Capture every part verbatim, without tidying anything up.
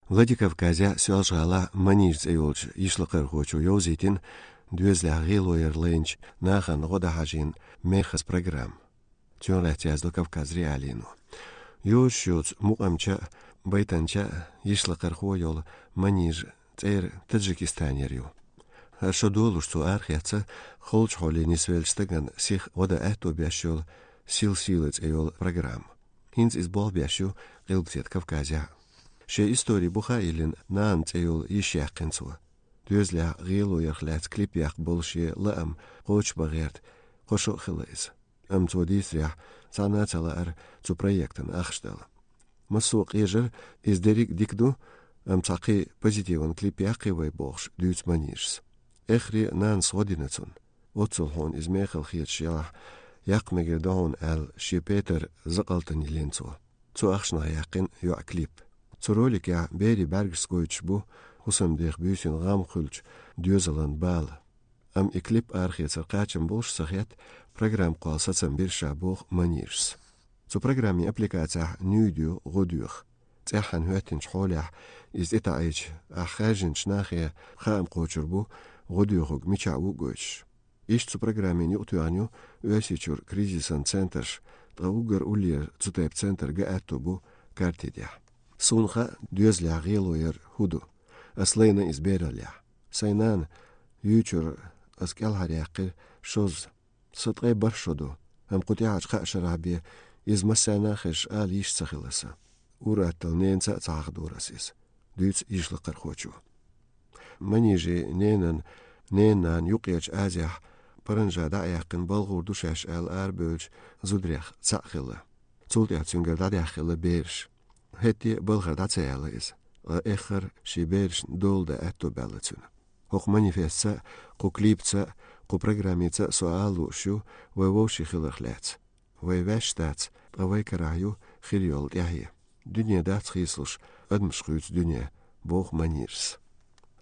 Владикавказехь Соьлжа-ГӀалахь «Манижа» цӀе йолчу йишлакхархочо йовзийтина доьзалехь гӀело яр лайначу нахана гӀо дан хьажийна мехаза программа. Цунах лаьцна яздо Кавказ.Реалиино. Йозуш йоцу мукъамча а, байтанча а йишлакхархо йолу Манижа цӀера Таджикистанера ю. ХӀара шо долуш цо арахецна холчу хьоле нисвеллачу стагана сиха гӀо дан аьтто беш йолу «Сила сийлы» цӀе йолу программа. ХӀинца иза болх беш ю Къилбаседа Кавказехь. Шен истори буха а йиллина, «Нана» цӀе йолу йиш яьккхина цо. Доьзалехь гӀело ярх лаьцна клип яккха болу шен лаам кхочушбан гӀерта кхо шо а хилла иза. Амма цо дийцарехь, цхьанна а ца лаьара цу проектана ахча дала. Массо а къежара, иза дерриг а дика ду, амма цхьа кхин позитиван клип яккхий вай бохуш, дуьйцу Манижас. Эххаре нанас гӀо дина цунна. Оццул хьуна иза мехала хеташ елахь, яккха мегар ду хьуна аьлла, шен петар закъалтана йиллина цо. Цу ахчанах яьккхина йоӀа клип. Цу роликехь берийн бӀаьргашца гойтуш бу хӀусамдех буьйсанна гӀам хуьлучу доьзалан бала. Амма и клип арахецар кхачам болуш а ца хетта, программа кхолла сацам бира ша боху Манижас. Цу программин аппликацехь нуьйда ю гӀо доьху. ЦӀеххьана хӀоьттинчу хьолехь иза тӀетаӀийча, ахь хаьржинчу нахе хаам кхочур бу гӀо доьхург мичахь ву а гойтуш. Иштта цу программина юкъатоьхна ю Оьрсийчуьра кризисан центраш, ткъа уггар уллера цу тайпа центр ган аьтто бу карти тӀехь. Суна хаьа, доьзалехь гӀело яр хӀун ду. Ас лайна иза бераллехь. Сайн нана юьйчуьра ас кӀелхьаръяьккхира шозза. Сан ткъе бархӀ шо ду, амма кху тӀаьхьарчу кхаа шарахь бен иза массарна а хезаш ала йиш ца хилла сан. Ур-атталла ненаца а ца хьахадора ас иза, дуьйцу йишлакхархочо. Манижин ненан ненан юккъерчу Азехь паранжа дӀа а яьккхина балхур ду шаьш аьлла арабевллачу зударех цхьаъ хилла. Цул тӀаьхьа цуьнгара дӀадаьхна хилла бераш. ХӀетте а балхара дӀа ца яьлла иза, ткъа эххар шен берашна дола дан аьтто баьлла цуьнан. ХӀокху манифестца а, кху клипца а, кху программица а со ала лууш ю вай вовшийн хиларх лаьцна. Вай ваьш дац, ткъа вай карахь ю хир йолу тӀаьхье. Дуьне дац хийцалуш, адамаш хуьйцу дуьне, боху Манижас.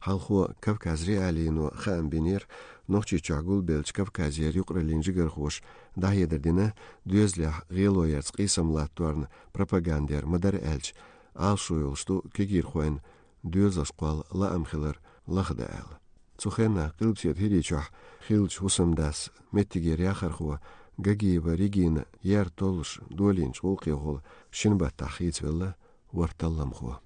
Хьалхо Кавказ.Реалиино хаам бинера Нохчийчохь гулбеллачу Кавказера юкъараллин жигархоша дӀахьедар дина, доьзалехь гӀело ярца къийсам латторна пропаганда яр ма дара аьлча, Ӏалашо йолуш ду кегийрхойн доьзалш кхолла лаам хилар лахдан аьлла. Цу хенахь Къилбаседа ХӀирийчохь хиллачу хӀусамдас, меттигера яхархо Гагиева Регина ер толлуш долийначу гӀуллакхехула шина баттахь хийцавелла ворхӀ талламхо.